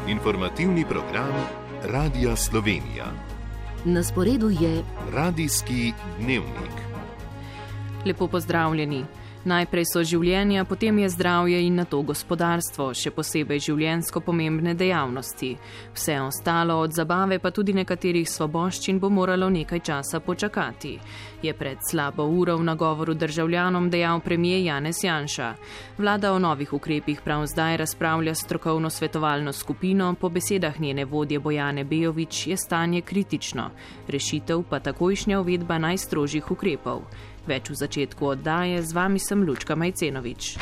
Informativni program Radia Slovenija. Na sporedu je Radijski dnevnik. Lepo pozdravljeni. Najprej so življenja, potem je zdravje in nato gospodarstvo, še posebej življenjsko pomembne dejavnosti. Vse ostalo od zabave pa tudi nekaterih svoboščin bo moralo nekaj časa počakati, je pred slabo uro v nagovoru državljanom dejal premier Janez Janša. Vlada o novih ukrepih prav zdaj razpravlja s strokovno svetovalno skupino, po besedah njene vodje Bojane Bejović je stanje kritično, rešitev pa takojšnja uvedba najstrožjih ukrepov. Več v začetku oddaje, z vami sem Lučka Majcenovič.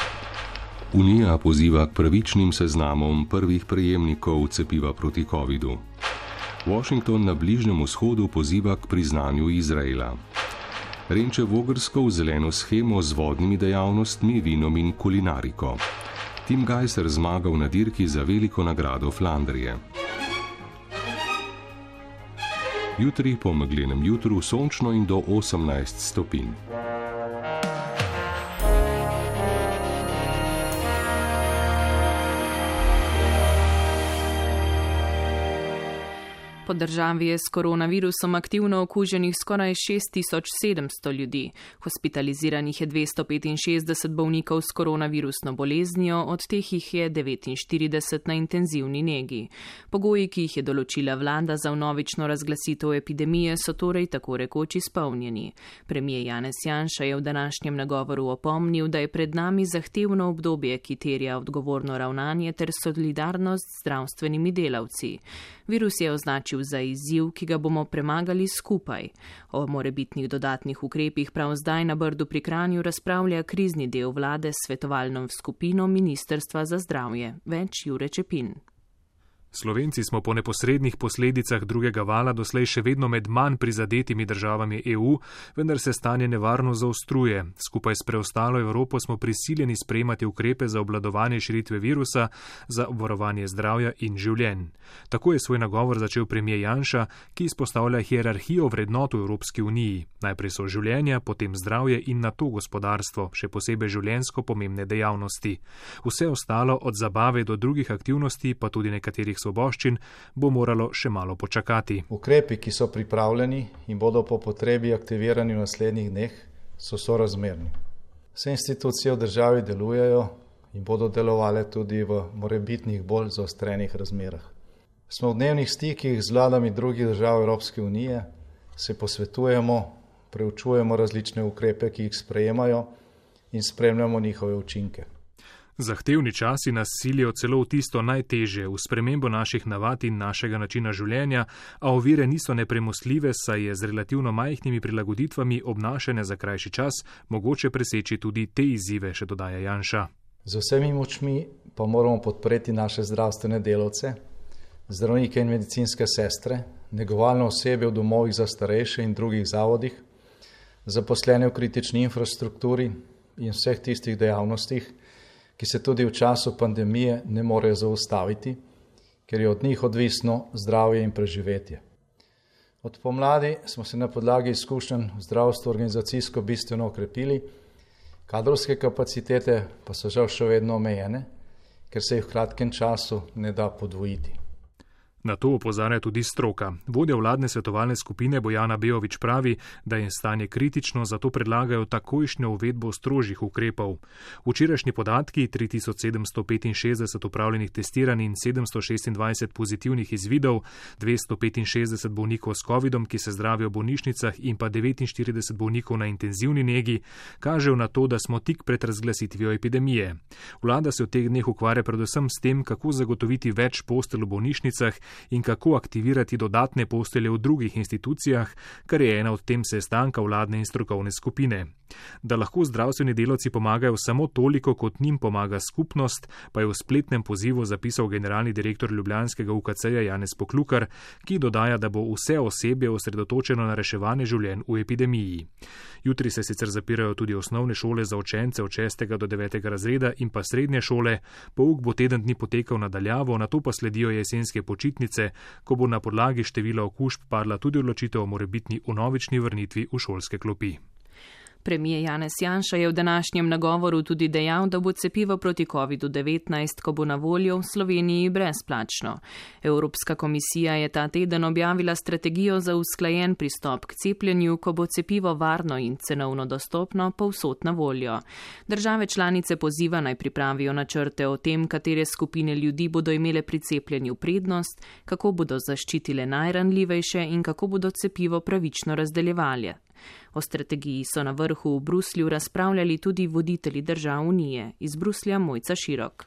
Unija poziva k pravičnim seznamom prvih prejemnikov cepiva proti covidu. Washington na Bližnjem vzhodu poziva k priznanju Izraela. Renče Vogrsko v zeleno shemo z vodnimi dejavnostmi, vinom in kulinariko. Tim Gajser zmagal na dirki za veliko nagrado Flandrije. Jutri po meglenem jutru sončno in do 18 stopinj. Po državi je s koronavirusom aktivno okuženih skoraj 6700 ljudi. Hospitaliziranih je 265 bolnikov s koronavirusno boleznijo, od teh jih je 49 na intenzivni negi. Pogoji, ki jih je določila vlada za vnovično razglasitev epidemije, so torej tako rekoč izpolnjeni. Premier Janez Janša je v današnjem nagovoru opomnil, da je pred nami zahtevno obdobje, ki terja odgovorno ravnanje ter solidarnost z zdravstvenimi delavci. Virus je označil za izziv, ki ga bomo premagali skupaj. O morebitnih dodatnih ukrepih prav zdaj na Brdu pri Kranju razpravlja krizni del vlade s svetovalno skupino Ministrstva za zdravje. Več Jure Čepin. Slovenci smo po neposrednih posledicah drugega vala doslej še vedno med manj prizadetimi državami EU, vendar se stanje nevarno zaostruje. Skupaj s preostalo Evropo smo prisiljeni sprejemati ukrepe za obvladovanje širitve virusa, za obvarovanje zdravja in življenj. Tako je svoj nagovor začel premier Janša, ki izpostavlja hierarhijo vrednot v Evropski uniji. Najprej so življenja, potem zdravje in nato gospodarstvo, še posebej življenjsko pomembne dejavnosti. Vse ostalo od zabave do drugih aktivnosti, pa tudi nekaterih svoboščin, bo moralo še malo počakati. Ukrepi, ki so pripravljeni in bodo po potrebi aktivirani v naslednjih dneh, so sorazmerni. Vse institucije v državi delujejo in bodo delovale tudi v morebitnih bolj zaostrenih razmerah. Smo v dnevnih stikih z vladami drugih držav Evropske unije, se posvetujemo, preučujemo različne ukrepe, ki jih sprejemajo in spremljamo njihove učinke. Zahtevni časi nas silijo celo v tisto najtežje, v spremembo naših navad in našega načina življenja, a ovire niso nepremostljive, saj je z relativno majhnimi prilagoditvami obnašanja za krajši čas mogoče preseči tudi te izzive, še dodaja Janša. Z vsemi močmi pa moramo podpreti naše zdravstvene delavce, zdravnike in medicinske sestre, negovalne osebe v domovih za starejše in drugih zavodih, zaposlene v kritični infrastrukturi in vseh tistih dejavnostih, ki se tudi v času pandemije ne morejo zaustaviti, ker je od njih odvisno zdravje in preživetje. Od pomladi smo se na podlagi izkušenj v zdravstvu organizacijsko bistveno okrepili, kadrovske kapacitete pa so žal še vedno omejene, ker se jih v kratkem času ne da podvojiti. Na to opozarja tudi stroka. Vodja vladne svetovalne skupine Bojana Bejović pravi, da je stanje kritično, zato predlagajo takojšnjo uvedbo strožjih ukrepov. Včerajšnji podatki, 3765 opravljenih testiranj in 726 pozitivnih izvidov, 265 bolnikov s covidom, ki se zdravijo v bolnišnicah in pa 49 bolnikov na intenzivni negi, kažejo na to, da smo tik pred razglasitvijo epidemije. Vlada se v teh dneh ukvarja predvsem s tem, kako zagotoviti več postelj v bolnišnicah in kako aktivirati dodatne postelje v drugih institucijah, kar je ena od tem sestanka vladne in strokovne skupine. Da lahko zdravstveni delavci pomagajo samo toliko, kot njim pomaga skupnost, pa je v spletnem pozivu zapisal generalni direktor ljubljanskega UKC-ja Janez Poklukar, ki dodaja, da bo vse osebje osredotočeno na reševanje življenj v epidemiji. Jutri se sicer zapirajo tudi osnovne šole za učence od 6. do 9. razreda in pa srednje šole, pouk bo teden dni potekal nadaljavo, nato pa sledijo jesenske počitnice, ko bo na podlagi števila okužb padla tudi odločitev o morebitni vnovični vrnitvi v šolske klopi. Premijer Janez Janša je v današnjem nagovoru tudi dejal, da bo cepivo proti COVID-19, ko bo na voljo v Sloveniji, brezplačno. Evropska komisija je ta teden objavila strategijo za usklajen pristop k cepljenju, ko bo cepivo varno in cenovno dostopno povsod na voljo. Države članice poziva naj pripravijo načrte o tem, katere skupine ljudi bodo imele pri cepljenju prednost, kako bodo zaščitile najranljivejše in kako bodo cepivo pravično razdeljevali. O strategiji so na vrhu v Bruslju razpravljali tudi voditelji držav Unije. Iz Bruslja Mojca Širok.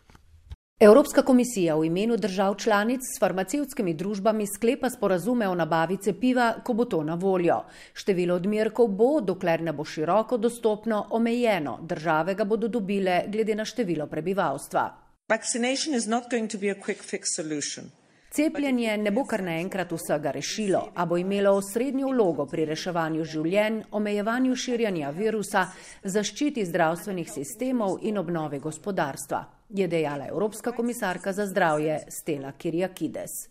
Evropska komisija v imenu držav članic s farmacevtskimi družbami sklepa sporazume o nabavi cepiva, ko bo to na voljo. Število odmerkov bo, dokler ne bo široko dostopno, omejeno. Države ga bodo dobile glede na število prebivalstva. Vaccination is not going to be a quick fix solution. Cepljenje ne bo kar naenkrat vsega rešilo, a bo imelo osrednjo vlogo pri reševanju življenj, omejevanju širjanja virusa, zaščiti zdravstvenih sistemov in obnove gospodarstva, je dejala Evropska komisarka za zdravje Stella Kyriakides.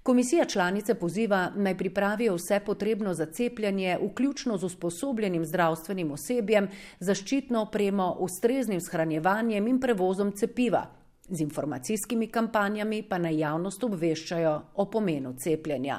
Komisija članice poziva naj pripravijo vse potrebno za cepljenje, vključno z usposobljenim zdravstvenim osebjem, zaščitno opremo, ustreznim shranjevanjem in prevozom cepiva. Z informacijskimi kampanjami pa naj javnost obveščajo o pomenu cepljenja.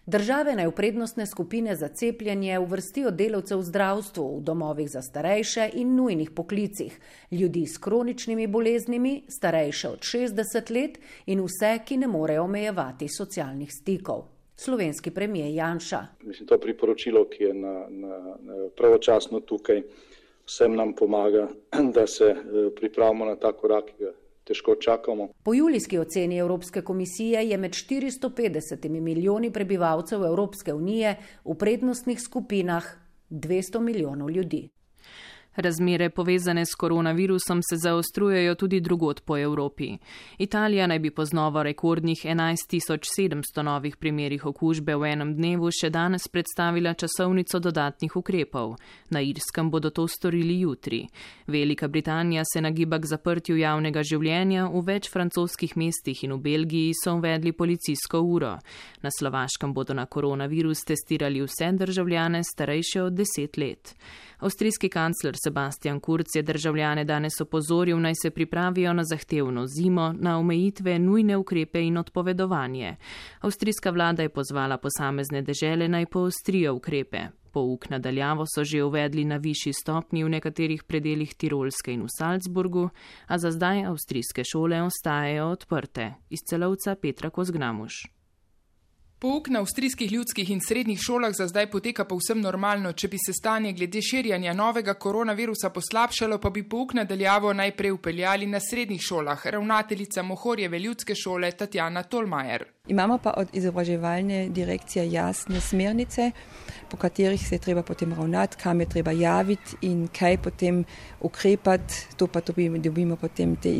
Države naj v prednostne skupine za cepljenje uvrstijo delavce v zdravstvu, v domovih za starejše in nujnih poklicih, ljudi s kroničnimi boleznimi, starejše od 60 let in vse, ki ne morejo omejevati socialnih stikov. Slovenski premijer Janša. Mislim, to priporočilo, ki je pravočasno tukaj, vsem nam pomaga, da se pripravimo na ta korak, ki ga težko čakamo. Po julijski oceni Evropske komisije je med 450 milijoni prebivalcev Evropske unije v prednostnih skupinah 200 milijonov ljudi. Razmere povezane s koronavirusom se zaostrujejo tudi drugod po Evropi. Italija naj bi po znova rekordnih 11.700 novih primerih okužbe v enem dnevu še danes predstavila časovnico dodatnih ukrepov. Na Irskem bodo to storili jutri. Velika Britanija se nagiba k zaprtju javnega življenja, v več francoskih mestih in v Belgiji so uvedli policijsko uro. Na Slovaškem bodo na koronavirus testirali vse državljane starejše od 10 let. Avstrijski kancler Sebastian Kurz je državljane danes opozoril, naj se pripravijo na zahtevno zimo, na omejitve, nujne ukrepe in odpovedovanje. Avstrijska vlada je pozvala posamezne dežele naj poostrijo ukrepe. Pouk nadaljavo so že uvedli na višji stopnji v nekaterih predelih Tirolske in v Salzburgu, a za zdaj avstrijske šole ostajajo odprte. Iz Celovca Petra Kozgramuš. Pouk na avstrijskih ljudskih in srednjih šolah za zdaj poteka povsem normalno. Če bi se stanje glede širjanja novega koronavirusa poslabšalo, pa bi pouk nadaljavo najprej upeljali na srednjih šolah. Ravnateljica Mohorjeve ljudske šole Tatjana Tolmajer. Imamo pa od izobraževalne direkcije jasne smernice, po katerih se je treba potem ravnati, kam je treba javiti in kaj potem ukrepati. To pa dobimo potem te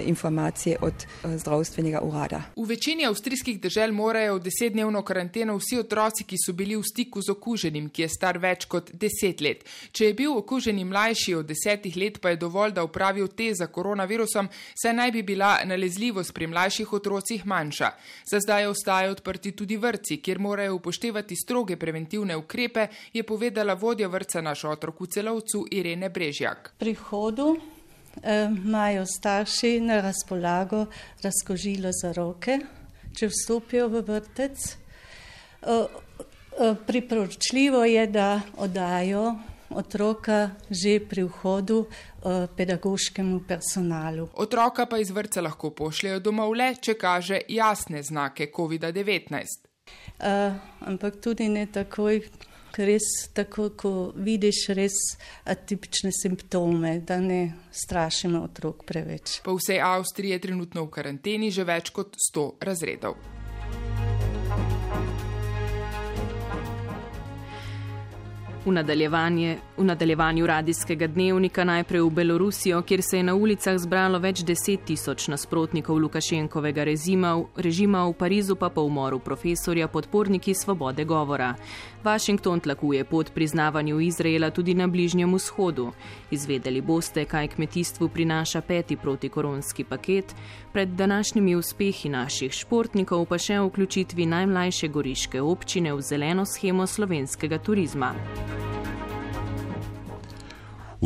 informacije od zdravstvenega urada. V večini avstrijskih dežel morajo v 10-dnevno karanteno vsi otroci, ki so bili v stiku z okuženim, ki je star več kot 10 let. Če je bil okuženi mlajši od 10 let, pa je dovolj, da opravijo test za koronavirusom, saj naj bi bila nalezljivost pri mlajših otrocih manjša. Za zdaj ostajajo odprti tudi vrtci, kjer morajo upoštevati stroge preventivne ukrepe, je povedala vodja vrtca Naš otrok v Celovcu Irene Brežjak. Pri vhodu imajo starši na razpolago razkužilo za roke, če vstopijo v vrtec. Priporočljivo je, da oddajo otroka že pri vhodu pedagoškemu personalu. Otroka pa iz vrtca lahko pošljejo domov le, če kaže jasne znake COVID-19. Ampak tudi ne takoj, res tako, ko vidiš res atipične simptome, da ne strašimo otrok preveč. Po vsej Avstriji je trenutno v karanteni že več kot 100 razredov. V nadaljevanju radijskega dnevnika najprej v Belorusijo, kjer se je na ulicah zbralo več 10.000 nasprotnikov Lukašenkovega režima, v Parizu pa po umoru profesorja podporniki svobode govora. Washington tlakuje pot priznavanju Izraela tudi na Bližnjem vzhodu. Izvedeli boste, kaj kmetijstvu prinaša 5. protikoronski paket, pred današnjimi uspehi naših športnikov pa še o vključitvi najmlajše goriške občine v zeleno shemo slovenskega turizma.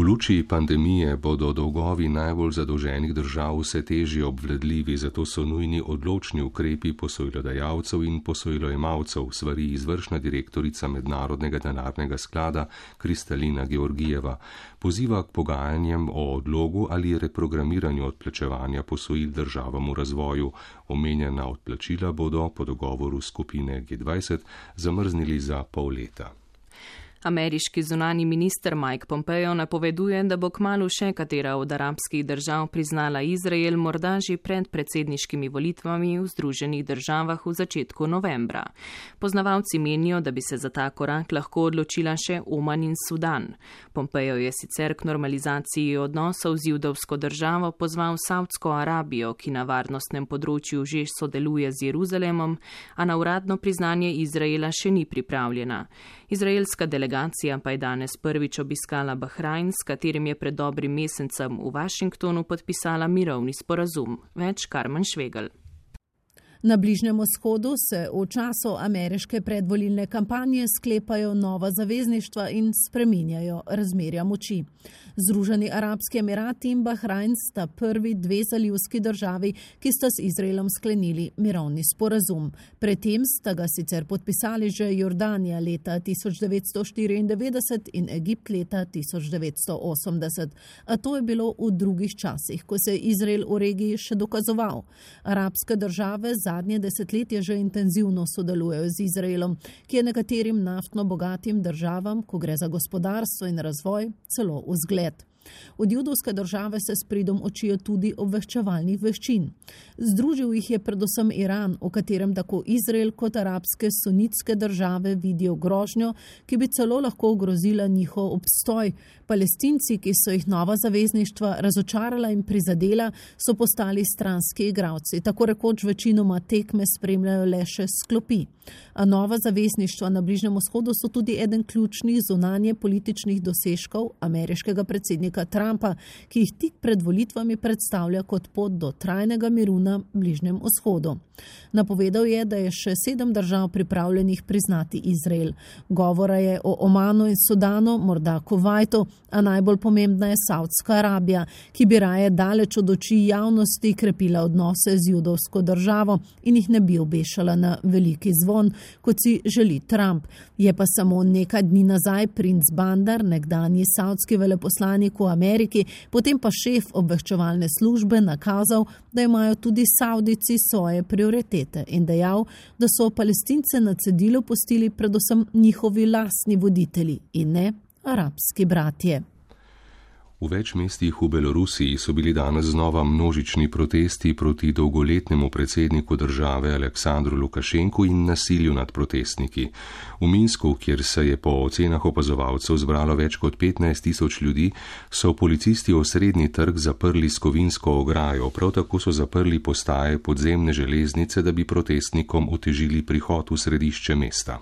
V luči pandemije bodo dolgovi najbolj zadolženih držav vse težje obvladljivi, zato so nujni odločni ukrepi posojilodajalcev in posojilojemalcev, svari izvršna direktorica Mednarodnega denarnega sklada Kristalina Georgijeva. Poziva k pogajanjem o odlogu ali reprogramiranju odplačevanja posojil državam v razvoju. Omenjena odplačila bodo po dogovoru skupine G20 zamrznili za pol leta. Ameriški zunani minister Mike Pompeo napoveduje, da bo kmalu še katera od arabskih držav priznala Izrael, morda že pred predsedniškimi volitvami v Združenih državah v začetku novembra. Poznavalci menijo, da bi se za ta korak lahko odločila še Oman in Sudan. Pompeo je sicer k normalizaciji odnosov z judovsko državo pozval Saudsko Arabijo, ki na varnostnem področju že sodeluje z Jeruzalemom, a na uradno priznanje Izraela še ni pripravljena. Izraelska delegacija pa je danes prvič obiskala Bahrajn, s katerim je pred dobrim mesecem v Washingtonu podpisala mirovni sporazum. Več Karmen Švegel. Na Bližnjem vzhodu se v času ameriške predvolilne kampanje sklepajo nova zavezništva in spreminjajo razmerja moči. Združeni Arabski Emirati in Bahrajn sta prvi dve zalivski državi, ki sta z Izraelom sklenili mirovni sporazum. Predtem sta ga sicer podpisali že Jordanija leta 1994 in Egipt leta 1980. A to je bilo v drugih časih, ko se je Izrael v regiji še dokazoval. Arabske države zadnje desetletje že intenzivno sodelujejo z Izraelom, ki je nekaterim naftno bogatim državam, ko gre za gospodarstvo in razvoj, celo vzgled. Od judovske države se s pridom učijo tudi obveščevalnih veščin. Združil jih je predvsem Iran, v katerem tako Izrael kot arabske sunitske države vidijo grožnjo, ki bi celo lahko ogrozila njihov obstoj. Palestinci, ki so jih nova zavezništva razočarala in prizadela, so postali stranski igralci. Tako rekoč večinoma tekme spremljajo le še s klopi. A nova zavezništva na Bližnjem vzhodu so tudi eden ključnih zunanje političnih dosežkov ameriškega predsednika Trumpa, ki jih tik pred volitvami predstavlja kot pot do trajnega miru na Bližnjem vzhodu. Napovedal je, da je še 7 držav pripravljenih priznati Izrael. Govora je o Omanu in Sudanu, morda Kuvajtu, a najbolj pomembna je Saudska Arabija, ki bi raje daleč od oči javnosti krepila odnose z judovsko državo in jih ne bi obešala na veliki zvon, kot si želi Trump. Je pa samo nekaj dni nazaj princ Bandar, nekdanji saudski veleposlanik v Ameriki, potem pa šef obveščevalne službe nakazal, da imajo tudi Saudijci svoje prioritete in dejal, da so Palestince na cedilu pustili predvsem njihovi lastni voditelji in ne arabski bratje. V več mestih v Belorusiji so bili danes znova množični protesti proti dolgoletnemu predsedniku države Aleksandru Lukašenku in nasilju nad protestniki. V Minsku, kjer se je po ocenah opazovalcev zbralo več kot 15.000 ljudi, so policisti osrednji trg zaprli s kovinsko ograjo, prav tako so zaprli postaje podzemne železnice, da bi protestnikom otežili prihod v središče mesta.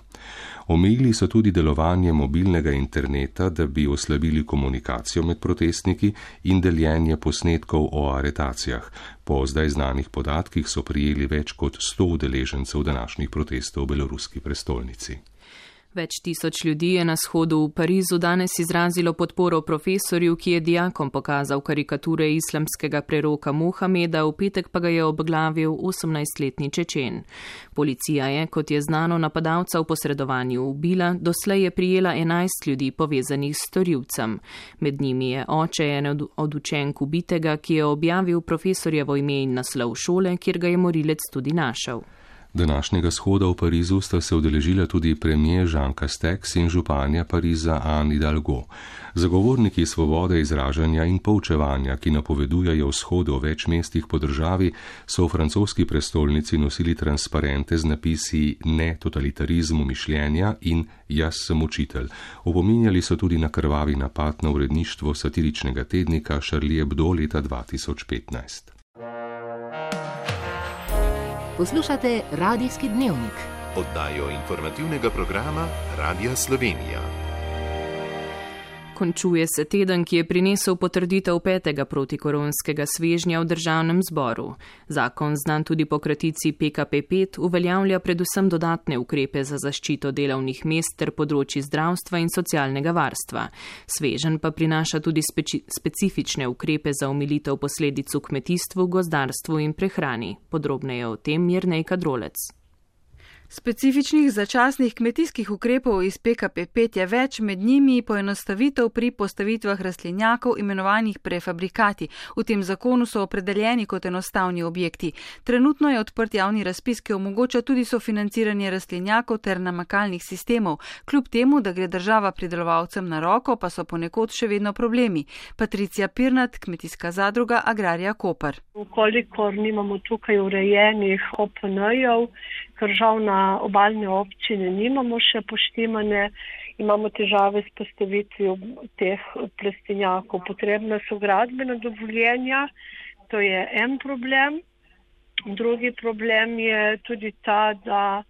Omejili so tudi delovanje mobilnega interneta, da bi oslabili komunikacijo med protestniki in deljenje posnetkov o aretacijah. Po zdaj znanih podatkih so prijeli več kot 100 udeležencev današnjih protestov v beloruski prestolnici. Več tisoč ljudi je na shodu v Parizu danes izrazilo podporo profesorju, ki je dijakom pokazal karikature islamskega preroka Mohameda, v petek pa ga je obglavil 18-letni Čečen. Policija je, kot je znano, napadalca v posredovanju ubila, doslej je prijela 11 ljudi povezanih s storilcem. Med njimi je oče ene od učenk ubitega, ki je objavil profesorjevo ime in naslov šole, kjer ga je morilec tudi našel. Današnjega shoda v Parizu sta se udeležila tudi premier Jean Castex in županja Pariza Anne Hidalgo. Zagovorniki svobode izražanja in poučevanja, ki napovedujejo shode v več mestih po državi, so v francoski prestolnici nosili transparente z napisi Ne totalitarizmu mišljenja in Jaz sem učitelj. Opominjali so tudi na krvavi napad na uredništvo satiričnega tednika Charlie Hebdo leta 2015. Poslušate Radijski dnevnik. Oddajo informativnega programa Radija Slovenija. Končuje se teden, ki je prinesel potrditev 5. protikoronskega svežnja v državnem zboru. Zakon, znan tudi po kratici PKP5, uveljavlja predvsem dodatne ukrepe za zaščito delovnih mest ter področji zdravstva in socialnega varstva. Svežen pa prinaša tudi specifične ukrepe za omilitev posledic v kmetijstvu, gozdarstvu in prehrani. Podrobneje o tem Jernej Kadrolec. Specifičnih začasnih kmetijskih ukrepov iz PKP5 je več, med njimi poenostavitev pri postavitvah rastlinjakov imenovanih prefabrikati. V tem zakonu so opredeljeni kot enostavni objekti. Trenutno je odprt javni razpis, ki omogoča tudi sofinanciranje rastlinjakov ter namakalnih sistemov. Kljub temu, da gre država pridelovalcem na roko, pa so ponekod še vedno problemi. Patricija Pirnat, kmetijska zadruga Agrarija Koper. Ukolikor nimamo tukaj urejenih OPN-jev, ker žal na obalne občine nimamo še poštimane, imamo težave s postavitvijo teh plestinjakov. Potrebna so gradbena dovoljenja, to je en problem. Drugi problem je tudi ta, da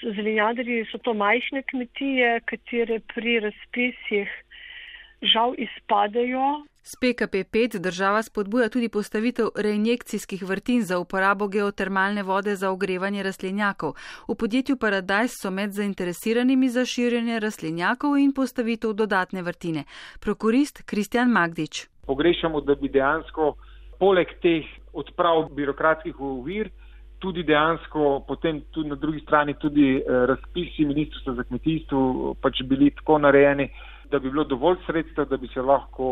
zelenjadarji so to majhne kmetije, katere pri razpisih žal izpadajo. S PKP5 država spodbuja tudi postavitev reinjekcijskih vrtin za uporabo geotermalne vode za ogrevanje rastlinjakov. V podjetju Paradise so med zainteresiranimi za širjenje rastlinjakov in postavitev dodatne vrtine. Prokurist Kristjan Magdič. Pogrešamo, da bi dejansko poleg teh odprav birokratskih ovir tudi dejansko potem tudi na drugi strani tudi razpisi Ministrstva za kmetijstvo pač bili tako narejeni, da bi bilo dovolj sredstev, da bi se lahko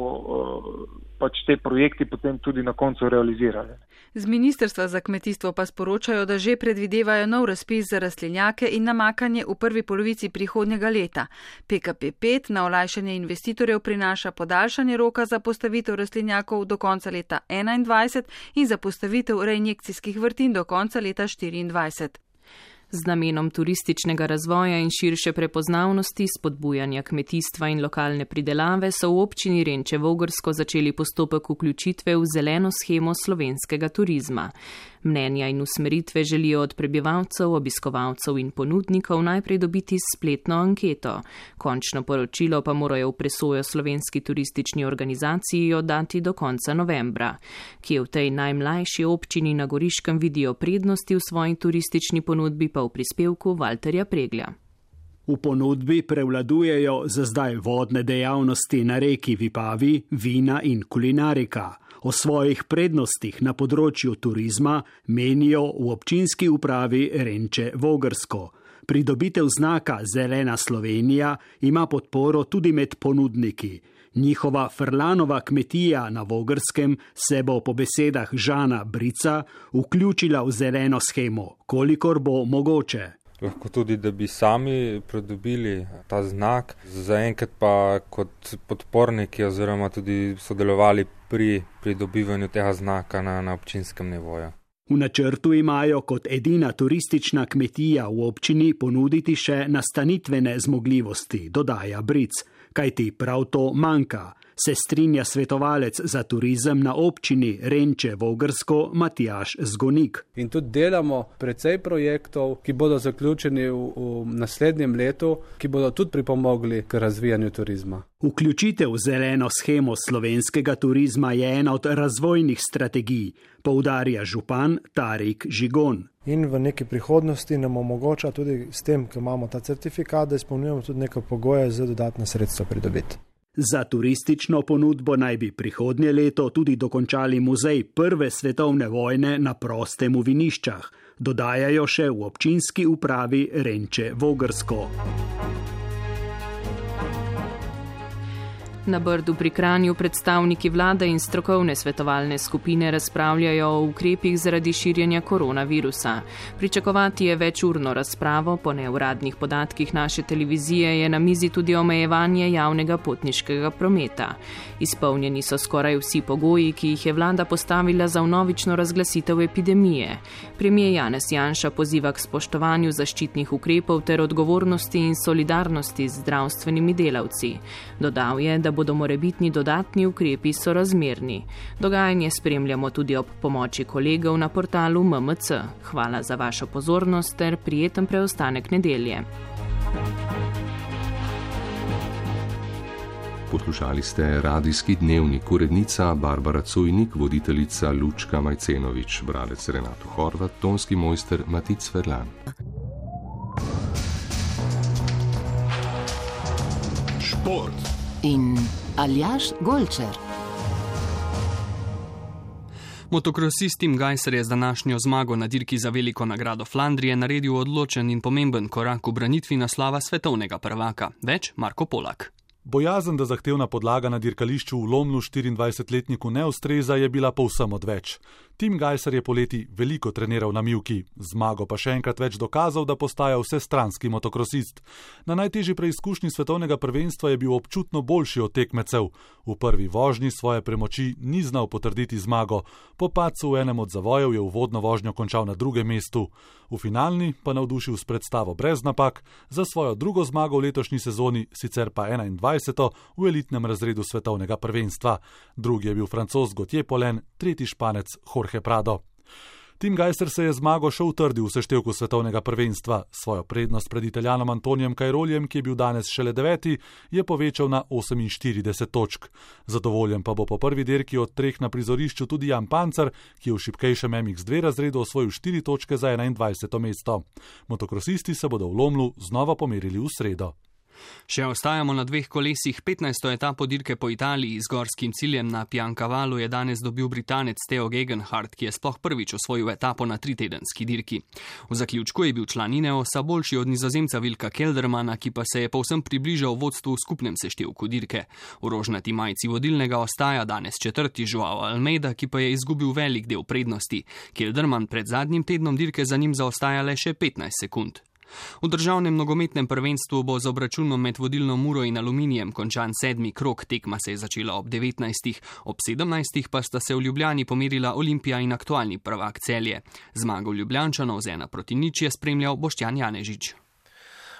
pač te projekti potem tudi na koncu realizirali. Z Ministrstva za kmetijstvo pa sporočajo, da že predvidevajo nov razpis za rastlinjake in namakanje v prvi polovici prihodnjega leta. PKP5 na olajšanje investitorjev prinaša podaljšanje roka za postavitev rastlinjakov do konca leta 2021 in za postavitev reinjekcijskih vrtin do konca leta 2024. Z namenom turističnega razvoja in širše prepoznavnosti, spodbujanja kmetijstva in lokalne pridelave so v občini Renče Vogrsko začeli postopek vključitve v zeleno shemo slovenskega turizma. Mnenja in usmeritve želijo od prebivalcev, obiskovalcev in ponudnikov najprej dobiti spletno anketo. Končno poročilo pa morajo v presojo slovenski turistični organizaciji oddati do konca novembra. Kje v tej najmlajši občini na Goriškem vidijo prednosti v svoji turistični ponudbi, pa v prispevku Valterja Preglja. V ponudbi prevladujejo za zdaj vodne dejavnosti na reki Vipavi, vina in kulinarika. O svojih prednostih na področju turizma menijo v občinski upravi Renče Vogrsko. Pridobitev znaka Zelena Slovenija ima podporo tudi med ponudniki. Njihova Frlanova kmetija na Vogrskem se bo po besedah Žana Brica vključila v zeleno shemo, kolikor bo mogoče. Lahko tudi, da bi sami pridobili ta znak, zaenkrat pa kot podporniki oziroma tudi sodelovali pri pridobivanju tega znaka na občinskem nivoju. V načrtu imajo kot edina turistična kmetija v občini ponuditi še nastanitvene zmogljivosti, dodaja Bric, kajti prav to manjka, se strinja svetovalec za turizem na občini Renče Vogrsko Matjaž Zgonik. In tudi delamo precej projektov, ki bodo zaključeni v naslednjem letu, ki bodo tudi pripomogli k razvijanju turizma. Vključitev v zeleno shemo slovenskega turizma je ena od razvojnih strategij, poudarja župan Tarik Žigon. In v neki prihodnosti nam omogoča tudi s tem, ko imamo ta certifikat, da izpolnjujemo tudi neke pogoje za dodatna sredstva pridobiti. Za turistično ponudbo naj bi prihodnje leto tudi dokončali muzej prve svetovne vojne na prostem v Viniščah, dodajajo še v občinski upravi Renče Vogrsko. Na Brdu pri Kranju predstavniki vlade in strokovne svetovalne skupine razpravljajo o ukrepih zaradi širjenja koronavirusa. Pričakovati je večurno razpravo, po neuradnih podatkih naše televizije je na mizi tudi omejevanje javnega potniškega prometa. Izpolnjeni so skoraj vsi pogoji, ki jih je vlada postavila za vnovično razglasitev epidemije. Premier Janez Janša poziva k spoštovanju zaščitnih ukrepov ter odgovornosti in solidarnosti z zdravstvenimi delavci. Dodal je, da bodo morebitni dodatni ukrepi sorazmerni. Dogajanje spremljamo tudi ob pomoči kolegov na portalu MMC. Hvala za vašo pozornost ter prijeten preostanek nedelje. Poslušali ste Radijski dnevnik, urednica Barbara Cojnik, voditeljica Lučka Majcenovič, bralec Renato Horvat, tonski mojster Matic Ferlan. Šport in Aljaž Golčer. Motokrosist Tim Gajser je z današnjo zmago na dirki za veliko nagrado Flandrije naredil odločen in pomemben korak v branitvi naslova svetovnega prvaka. Več Marko Polak. Bojazen, da zahtevna podlaga na dirkališču v Lomlu 24-letniku ne ustreza, je bila povsem odveč. Tim Gajser je poleti veliko treniral na mivki, zmago pa še enkrat več dokazal, da postaja vsestranski motokrosist. Na najtežji preizkušnji svetovnega prvenstva je bil občutno boljši od tekmecev. V prvi vožnji svoje premoči ni znal potrditi zmago, po padcu v enem od zavojev je uvodno vožnjo končal na drugem mestu. V finalni pa navdušil s predstavo brez napak, za svojo drugo zmago v letošnji sezoni, sicer pa 21. v elitnem razredu svetovnega prvenstva. Drugi je bil Francoz Gauthier Paulin, tretji Španec Jorge Prado. Tim Gajser se je zmago še utrdil v seštevku svetovnega prvenstva. Svojo prednost pred Italijanom Antonijem Cairolijem, ki je bil danes šele 9., je povečal na 48 točk. Zadovoljen pa bo po prvi dirki od 3 na prizorišču tudi Jan Pancer, ki je v šibkejšem MX2 razredu osvojil 4 točke za 21. mesto. Motokrosisti se bodo v Lomlu znova pomerili v sredo. Še ostajamo na 2 kolesih. 15. etapo dirke po Italiji z gorskim ciljem na Piancavalu je danes dobil Britanec Theo Gegenhardt, ki je sploh prvič osvojil etapo na 3-tedenski dirki. V zaključku je bil član Ineosa boljši od Nizozemca Wilka Keldermana, ki pa se je povsem približal vodstvu v skupnem seštevku dirke. V rožnati majici vodilnega ostaja danes 4. Joao Almeida, ki pa je izgubil velik del prednosti. Kelderman pred zadnjim tednom dirke za njim zaostaja le še 15 sekund. V državnem nogometnem prvenstvu bo z obračunom med vodilno Muro in Aluminijem končan 7. krog, tekma se je začela ob 19. Ob 17. pa sta se v Ljubljani pomerila Olimpija in aktualni prvak Celje. Zmago Ljubljančanov z 1-0 je spremljal Boštjan Janežič.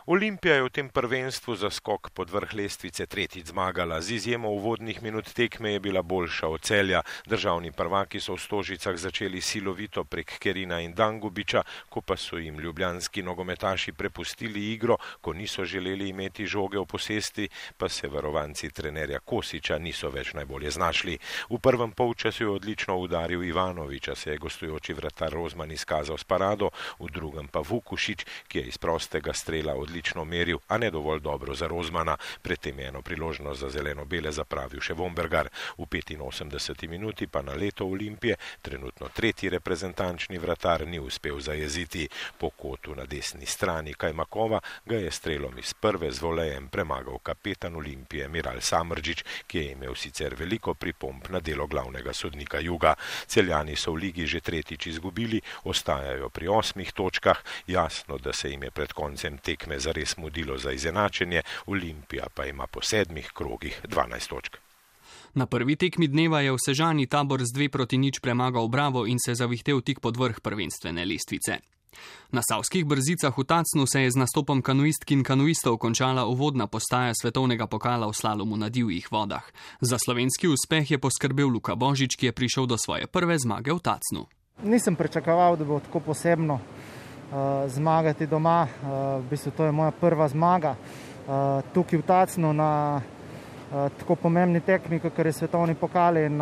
Olimpija je v tem prvenstvu za skok pod vrh lestvice tretjič zmagala. Z izjemo uvodnih minut tekme je bila boljša od Celja. Državni prvaki so v Stožicah začeli silovito prek Kerina in Dangubiča, ko pa so jim ljubljanski nogometaši prepustili igro, ko niso želeli imeti žoge v posesti, pa se varovanci trenerja Kosiča niso več najbolje znašli. V prvem polčasu je odlično udaril Ivanoviča, se je gostujoči vratar Rozman izkazal s parado, v drugem pa Vukušič, ki je iz prostega strela odlično meril, a ne dovolj dobro za Rozmana. Predtem je eno priložnost za zeleno-bele zapravil še Vombergar. V 85. minuti pa na leto Olimpije trenutno tretji reprezentančni vratar ni uspel zajeziti. Po kotu na desni strani Kajmakova ga je strelom iz prve z volejem premagal kapetan Olimpije Miral Samrdžić, ki je imel sicer veliko pripomb na delo glavnega sodnika Juga. Celjani so v ligi že tretjič izgubili, ostajajo pri 8 točkah. Jasno, da se jim je pred koncem tekme zares mudilo za izenačenje, Olimpija pa ima po 7 krogih 12 točk. Na prvi tekmi dneva je v Sežani Tabor z 2-0 premagal Bravo in se zavihtel tik pod vrh prvenstvene lestvice. Na Savskih Brzicah v Tacnu se je z nastopom kanuistk in kanuistov končala uvodna postaja svetovnega pokala v slalomu na divjih vodah. Za slovenski uspeh je poskrbel Luka Božič, ki je prišel do svoje prve zmage v Tacnu. Nisem pričakoval, da bo tako posebno zmagati doma. V bistvu to je moja prva zmaga tukaj v Tacnu na tako pomembni tekmi, kakor je svetovni pokal, in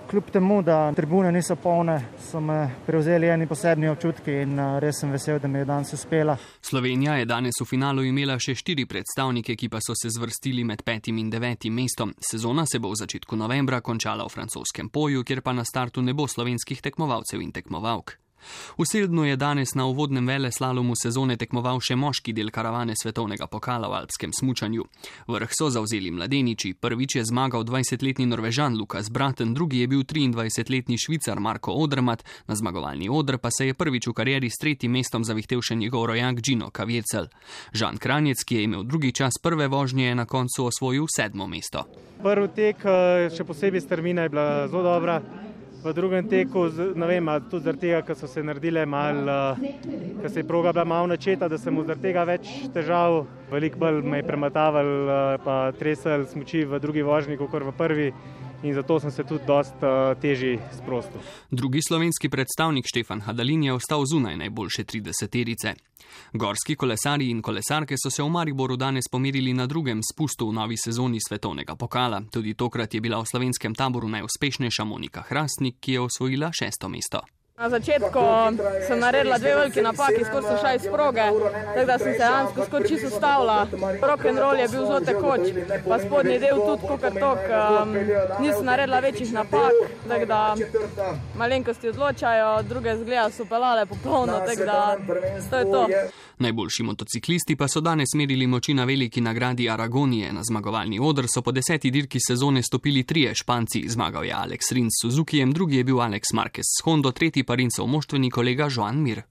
kljub temu, da tribune niso polne, so me prevzeli eni posebni občutki in res sem vesel, da mi je danes uspela. Slovenija je danes v finalu imela še 4 predstavnike, ki pa so se zvrstili med 5. in 9. mestom. Sezona se bo v začetku novembra končala v francoskem Poju, kjer pa na startu ne bo slovenskih tekmovalcev in tekmovalk. V Seldnu je danes na uvodnem veleslalomu sezone tekmoval še moški del karavane svetovnega pokala v alpskem smučanju. Vrh so zavzeli mladeniči. Prvič je zmagal 20-letni Norvežan Lukas Braten, drugi je bil 23-letni Švicar Marko Odermatt, na zmagovalni oder pa se je prvič v karieri s 3. mestom zavihtel še njegov rojak Gino Kavjecel. Žan Kranjec, ki je imel drugi čas prve vožnje, je na koncu osvojil 7. mesto. Prvi tek, še posebej strmina, je bila zelo dobra. V drugem teku, ne vem, tudi zaradi tega, ker so se naredile ker se je proga bila malo načeta, da sem zaradi tega več težav. Veliko bolj me je premataval, pa tresel smuči v drugi vožnji, kot v prvi. in zato sem se tudi dosta težje sprostil. Drugi slovenski predstavnik Štefan Hadalin je ostal zunaj najboljše 30-terice. Gorski kolesarji in kolesarke so se v Mariboru danes pomerili na drugem spustu v novi sezoni svetovnega pokala. Tudi tokrat je bila v slovenskem taboru najuspešnejša Monika Hrastnik, ki je osvojila 6. mesto. Na začetku sem naredila 2 veliki napaki, skoro sem šla iz proge, tako da sem se dejansko skoro čisto ustavila. Rock and roll je bil zelo tekoč, pa spodnji del tudi kakor tok. Nisem naredila večjih napak, tako da malenkosti odločajo, druge zgleda so pelale popolno, tako da to je to. Najboljši motociklisti pa so danes merili moči na veliki nagradi Aragonije. Na zmagovalni oder so po 10. dirki sezone stopili 3 Španci. Zmagal je Alex Rins s Suzukijem, drugi je bil Alex Marquez s Hondo, tretji pa Rinsov moštveni kolega Joan Mir.